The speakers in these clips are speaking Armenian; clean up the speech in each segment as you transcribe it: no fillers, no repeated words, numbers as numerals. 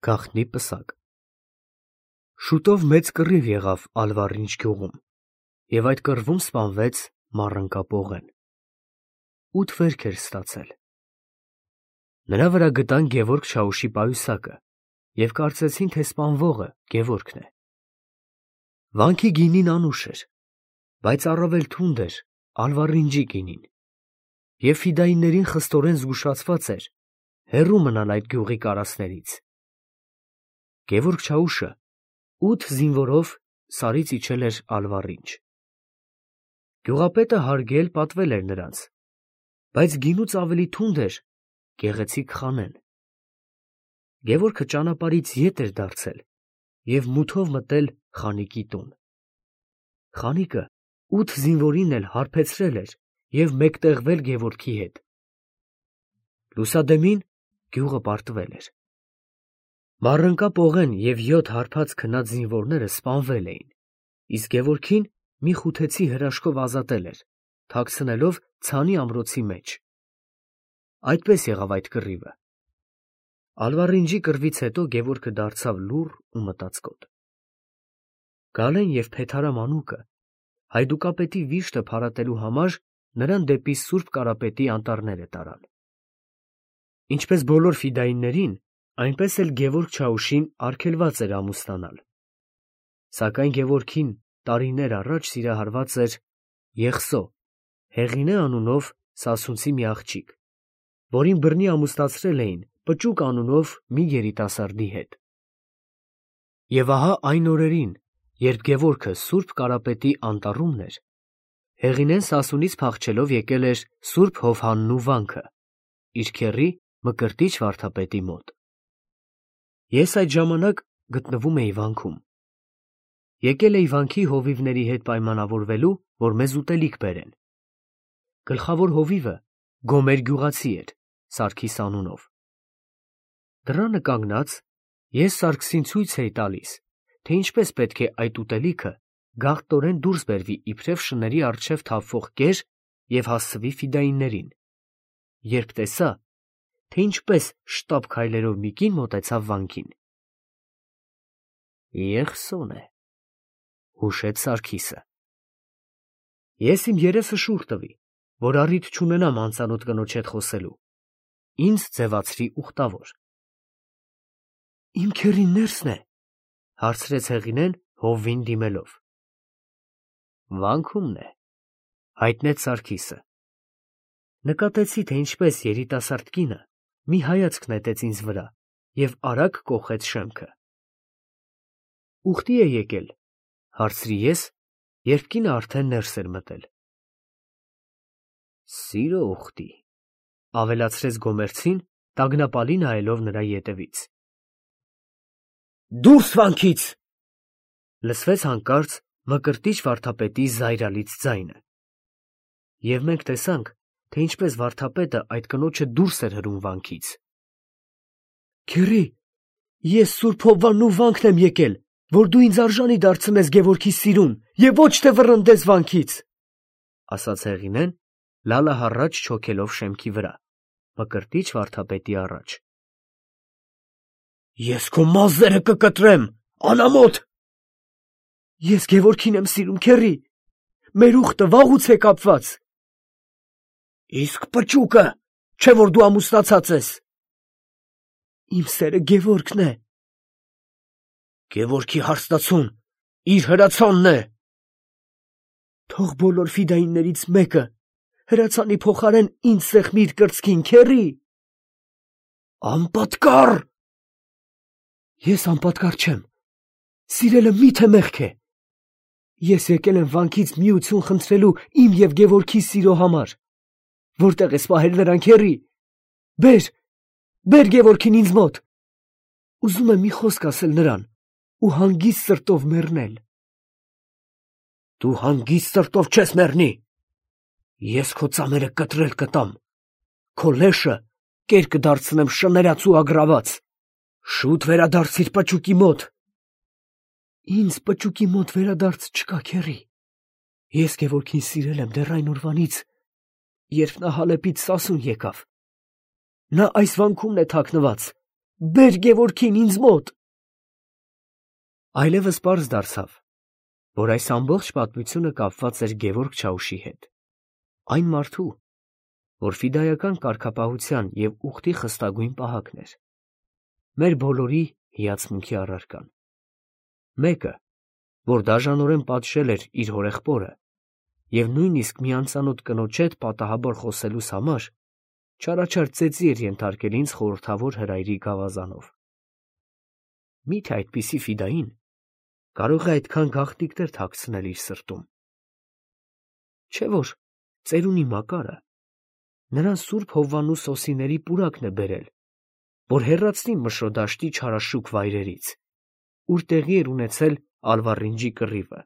Գաղտնի պսակ։ Շուտով մեծ կռիվ եղավ Ալվառինչ գյուղում, և այդ կռվում սպանվեց Մառընկա Պողեն։ 8 վերք էր ստացել։ Նրա վրա գտան Գևորգ Չաուշի պայուսակը և կարծեցին, թե սպանվողը Գևորգն է։ Վանքի գինին անուշ էր, բայց առավել թունդ էր Ալվառինչի գինին, և ֆիդայիններին խստորեն զգուշացված էր հեռու մնալ այդ գյուղի կարասներից։ Գևորգ Չաուշը 8 զինվորով Սարից իջել էր Ալվառինչ։ Գյուղապետը հարգել պատվել էր նրանց, բայց գինուց ավելի թունդ էր գեղեցիկ խանեն։ Գևորգը ճանապարհից ետ էր դարձել և մութով մտել խանիկի տուն։ Խանիկը 8 զինվորին էլ հարբեցրել էր և մեկտեղվել Գևորգի հետ։ Լուսադեմին գյուղը պարտվել էր։ Մառընկա Պողեն և 7 հարբած քնած զինվորները սպանվել էին, իսկ Գևորգին մի խութեցի հրաշքով ազատել էր, թաքցնելով ցանի ամրոցի մեջ։ Այդպես եղավ այդ կռիվը։ Ալվառինչի կռվից հետո Գևորգը դարձավ լուռ ու մտածկոտ։ Գալեն և Փեթարա մանուկը հայդուկապետի վիշտը փարատելու համար նրան դեպի Սուրբ Կարապետի անտառները տարան։ Ինչպես բոլոր ֆիդայիններին, այնպես էլ Գևորգ Չաուշին արգելված էր ամուսնանալ։ Սակայն Գևորգին տարիներ առաջ սիրահարված էր Եղսո, Հեղինե անունով սասունցի մի աղջիկ, որին բռնի ամուսնացրել էին Պճուկ անունով մի երիտասարդի հետ։ Եվ ահա այն օրերին, երբ Գևորգը Սուրբ Կարապետի անտառումն էր, Հեղինեն Սասունից փախչելով եկել էր Սուրբ Հովհաննու վանքը, իր քեռի Մկրտիչ վարդապետի մոտ։ Ես այդ ժամանակ գտնվում էի վանքում։ Եկել էի վանքի հովիվների հետ պայմանավորվելու, որ մեզ ուտելիք բերեն։ Գլխավոր հովիվը Գոմեր գյուղացի էր, Սարգիս անունով։ Դռանը կանգնած, ես Սարգսին ցույց էի տալիս, թե ինչպես պետք է այդ ուտելիքը գաղտնորեն դուրս բերվի իբրև շների առջև թափվող կեր և հասցվի ֆիդայիններին, երբ տեսա, թե ինչպես շտապ քայլերով մի կին մոտեցավ վանքին։ Եղսոն է, հուշեց Սարգիսը։ Ես իմ երեսը շուռ տվի, որ առիթ չունենամ անծանոթ կնոջ հետ խոսելու, ինձ ձևացրի ուխտավոր։ Իմ քեռին ներսն է, հարցրեց Հեղինեն հովվին դիմելով։ Վանքումն է, հայտնեց Սարգիսը։ Նկատեցի, թե ինչպես երիտասարդ կինը մի հայացք նետեց ինձ վրա և արագ կոխեց շեմքը։ Ուխտի է եկել, հարցրի ես, երբ կինը արդեն ներս էր մտել։ Սիրո ուխտի, ավելացրեց Գոմերցին, տագնապալի նայելով նրա ետևից։ Դուրս վանքից, լսվեց հանկարծ Մկրտիչ վարդապետի զայրալից ձայնը։ Եվ մենք տեսանք, թե ինչպես վարդապետը այդ կնոջը դուրս էր հրում վանքից։ Քեռի, ես Սուրբ Հովվաննու վանքն եմ եկել, որ դու ինձ արժանի դարձնես Գևորգի սիրուն և ոչ թե վռնդես վանքից, ասաց Հեղինեն, լալը հառաչ չոքելով շեմքի վրա, Մկրտիչ վարդապետի առաջ։ Ես քո մազերը կկտրեմ, անամոթ։ Ես Գևորգին եմ սիրում, քեռի, մեր ուխտը վաղուց է կապված։ Իսկ Պճուկը, չէ՞ որ դու ամուսնացած ես։ Իմ սերը Գևորգն է։ Գևորգի հարստացուն իր հրացանն է։ Թող բոլոր ֆիդայիններից մեկը հրացանի փոխարեն ինձ սեղմի իր կրծքին, քեռի։ Անպատկառ։ Ես անպատկառ չեմ, սիրելը միթե մեղք է։ Ես եկել եմ վանքից միություն խնդրելու իմ և Գևորգի սիրո համար։ Որտե՞ղ ես պահել նրան, քեռի։ Բեր Գևորգին ինձ մոտ։ Ուզում եմ մի խոսք ասել նրան ու հանգիստ սրտով մեռնել։ Դու հանգիստ սրտով չես մեռնի։ Ես քո ծամերը կտրել կտամ, քո լեշը կեր կդարձնեմ շներած ու ագրաված։ Շուտ վերադարձիր Պճուկի մոտ։ Ինձ Պճուկի մոտ վերադարձ չկա, քեռի։ Ես Գևորգին սիրել եմ դեռ այն օրվանից, երբ նա Հալեպից Սասուն եկավ։ Նա այս վանքումն է թաքնված Բեր Գևորգին ինձ մոտ։ Այլևս պարզ դարձավ, որ այս ամբողջ պատմությունը կապված էր Գևորգ Չաուշի հետ, այն մարդու, որ ֆիդայական կարգապահության և ուխտի խստագույն պահակն էր, մեր բոլորի հիացմունքի առարկան, մեկը, որ դաժանորեն պատժել էր իր հորեղբորը և նույնիսկ մի անծանոթ կնոջ հետ պատահաբար խոսելուս համար չարաչար ծեծի էր ենթարկել ինձ խորհրդավոր հրայրի գավազանով։ Մի՞թե այդպիսի ֆիդային կարող է այդքան գաղտնիքներ թաքցնել իր սրտում։ Չէ՞ որ ծերունի Մակարը նրան Սուրբ Հովվաննու սոսիների պուրակն է բերել, որ հեռացնի Մշրոդաշտի չարաշուք վայրերից, ուր տեղի էր ունեցել Ալվառինջի կռիվը։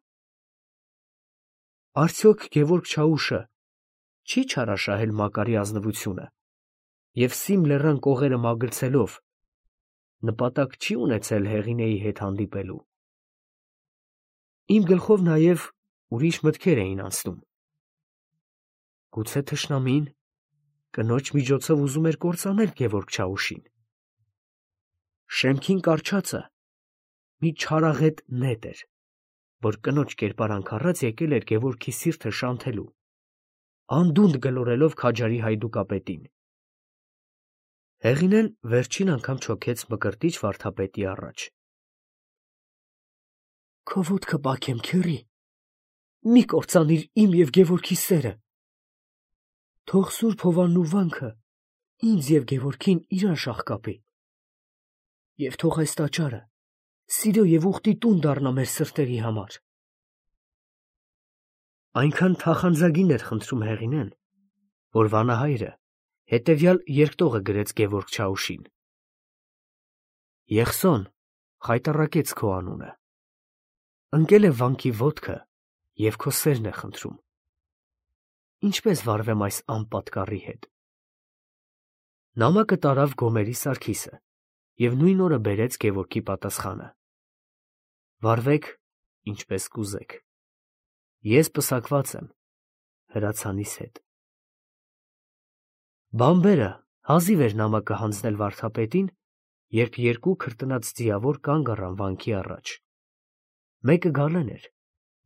Արդյոք Գևորգ Չաուշը չի չարաշահել Մակարի ազնվությունը և Սիմ լեռան կողերը մագլցելով նպատակ չի ունեցել Հեղինեի հետ հանդիպելու։ Իմ գլխով նաև ուրիշ մտքեր էին անցնում։ Գուցե թշնամին կնոջ միջոցով ուզում էր կործանել Գևորգ Չաուշին։ Շեմքին կառչածը մի չարաղետ նետ էր, որ կնոջ կերպարանք առած եկել էր Գևորգի սիրտը շանթելու, անդունդը գլորելով քաջարի հայդուկապետին։ Հեղինեն վերջին անգամ չոքեց Մկրտիչ վարդապետի առաջ։ Քո ոտքը պաքեմ, քեռի, մի կործանիր իմ և Գևորգի սերը։ Թող Սուրբ Հովվաննու վանքը ինձ և Գևորգին իրար շաղկապի, և թող այս տաճարը սիրո և ուխտի տուն դառնա մեր սրտերի համար։ Այնքան թախանձագին էր խնդրում Հեղինեն, որ վանահայրը հետևյալ երկտողը գրեց Գևորգ Չաուշին. Եղսոն խայտառակեց քո անունը, ընկել է վանքի ոտքը և քո սերն է խնդրում։ Ինչպես վարվեմ այս անպատկառի հետ։ Նամակը տարավ Գոմերի Սարգիսը և նույն օրը բերեց Գևորգի պատասխանը. վարվեք ինչպես կուզեք։ Ես պսակված եմ հրացանիս հետ։ Բամբերը հազիվ էր նամակը հանձնել վարդապետին, երբ երկու քրտնած ձիավոր կանգ առան վանքի առաջ։ Մեկը Գալեն էր,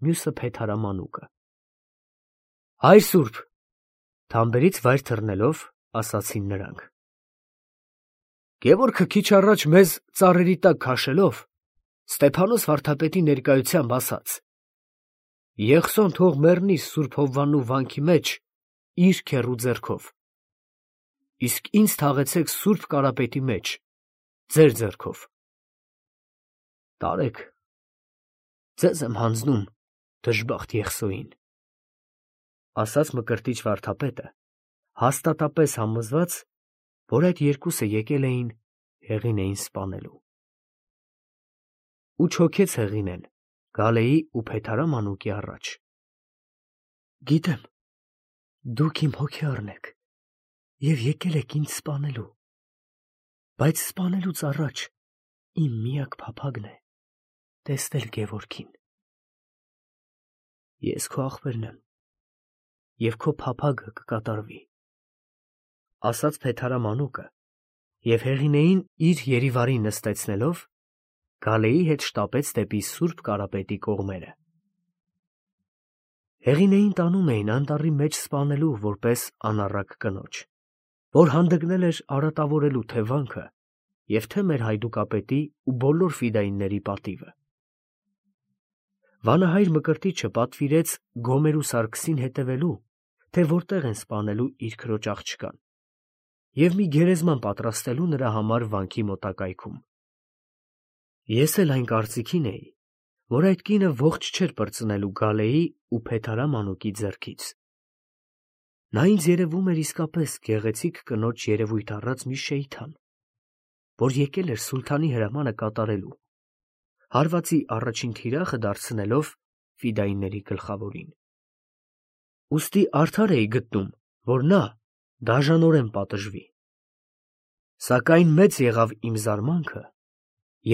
մյուսը Փեթհարամանուկը։ Հայր սուրբ, թամբերից վայր թռնելով, ասացին նրանք։ Գևորգը քիչ առաջ մեզ ծառերի տակ քաշելով, Ստեփանոս վարդապետի ներկայությամբ ասաց. Եղսոն թող մեռնի Սուրբ Հովվաննու վանքի մեջ իր քեռու ձեռքով, իսկ ինձ թաղեցեք Սուրբ Կարապետի մեջ ձեր ձեռքով։ Տարեք, ձեզ եմ հանձնում դժբախտ Եղսոյին, ասաց Մկրտիչ վարդապետը, հաստատապես համոզված, որ այդ երկուսը եկել էին Հեղինեին սպանելու։ Ու չոքեց Հեղինեն Գալեի ու Փեթհարամանուկի առաջ։ Գիտեմ, դուք իմ հոգեառն եք և եկել եք ինձ սպանելու, բայց սպանելուց առաջ իմ միակ փափագն է տեսնել Գևորգին։ Ես քո ախպերն եմ, և քո փափագը կկատարվի, ասաց Փեթհարամանուկը, և Հեղինեին իր երիվարին նստեցնելով, Գալեի հետ շտապեց դեպի Սուրբ Կարապետի կողմերը։ Հեղինեին տանում էին անտառի մեջ սպանելու որպես անառակ կնոջ, որ հանդգնել էր արատավորելու թե վանքը և թե մեր հայդուկապետի ու բոլոր ֆիդայինների պատիվը։ Վանահայր Մկրտիչը պատվիրեց Գոմերու Սարգսին հետևելու, թե որտեղ են սպանելու իր քրոջ աղջկան, և մի գերեզման պատրաստելու նրա համար վանքի մոտակայքում։ Ես էլ այն կարծիքին էի, որ այդ կինը ողջ չէր պրծնելու Գալեի ու Փեթհարամանուկի ձեռքից։ Նա ինձ երևում էր իսկապես գեղեցիկ կնոջ երևույթ առած մի շեյթան, որ եկել էր սուլթանի հրամանը կատարելու, հարվածի առաջին թիրախը դարձնելով ֆիդայինների գլխավորին։ Ուստի արդար էի գտնում, որ նա դաժանորեն պատժվի։ Սակայն մեծ եղավ իմ զարմանքը,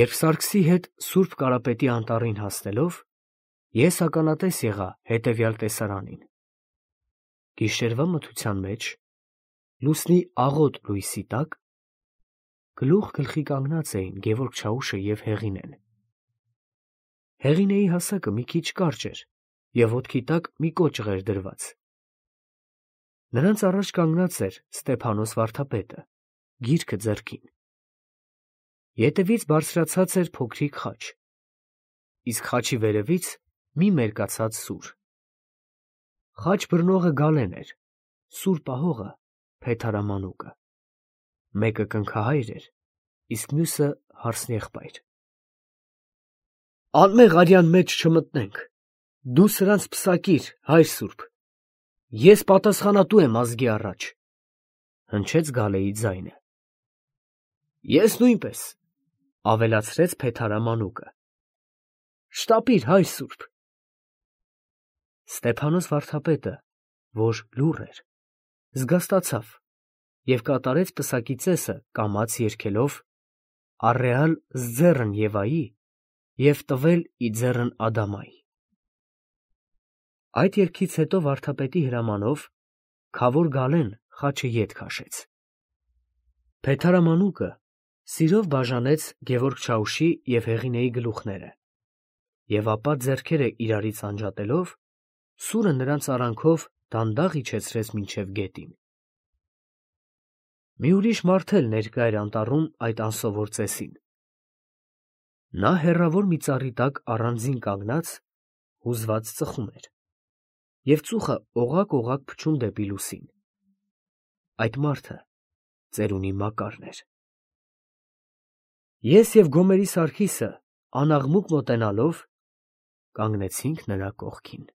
երբ Սարգսի հետ Սուրբ Կարապետի անտառին հասնելով, ես ականատես եղա հետևյալ տեսարանին. գիշերվա մթության մեջ, լուսնի աղոտ լույսի տակ, գլուխ գլխի կանգնած էին Գևորգ Չաուշը և Հեղինեն։ Հեղինեի հասակը մի քիչ կարճ էր և ոտքի տակ մի կոճղ էր դրված։ Նրանց առաջ կանգնած էր Ստեփանոս վարդապետը, գիրքը ձեռքին։ Ետևից բարձրացած էր փոքրիկ խաչ, իսկ խաչի վերևից մի մերկացած սուր։ Խաչ բռնողը Գալեն էր, սուր պահողը Փեթարամանուկը։ Մեկը կնքահայր էր, իսկ մյուսը հարսնեղբայր։ Անմեղ արյան մեջ չմտնենք, դու սրանց պսակիր, հայր սուրբ, ես պատասխանատու եմ ազգի առաջ, հնչեց Գալեի ձայնը։ Ես նույնպես, ավելացրեց Փեթարամանուկը։ Շտապիր, հայր սուրբ։ Ստեփանոս վարդապետը, որ լուռ էր, զգաստացավ և կատարեց պսակի ծեսը կամաց երգելով «Առեալ զձեռն Եվայի» և «Տվել իձեռն Ադամայի»։ Այդ երգից հետո վարդապետի հրամանով քավոր Գալեն խաչը ետ քաշեց։ Փեթարամանուկը սիրով բաժանեց Գևորգ Չաուշի և Հեղինեի գլուխները և ապա ձեռքերը իրարից անջատելով սուրը նրանց արանքով դանդաղ իջեցրեց մինչև գետին։ Մի ուրիշ մարդ էլ ներկա էր անտառում այդ անսովոր ծեսին։ Նա հեռավոր մի ծառի տակ առանձին կանգնած հուզված ծխում էր և ծուխը օղակ փչում դեպի լուսին։ Այդ մարդը ծերունի Մակարն էր։ Ես և Գոմերի Սարգիսը անաղմուկ մոտենալով կանգնեցինք նրա կողքին։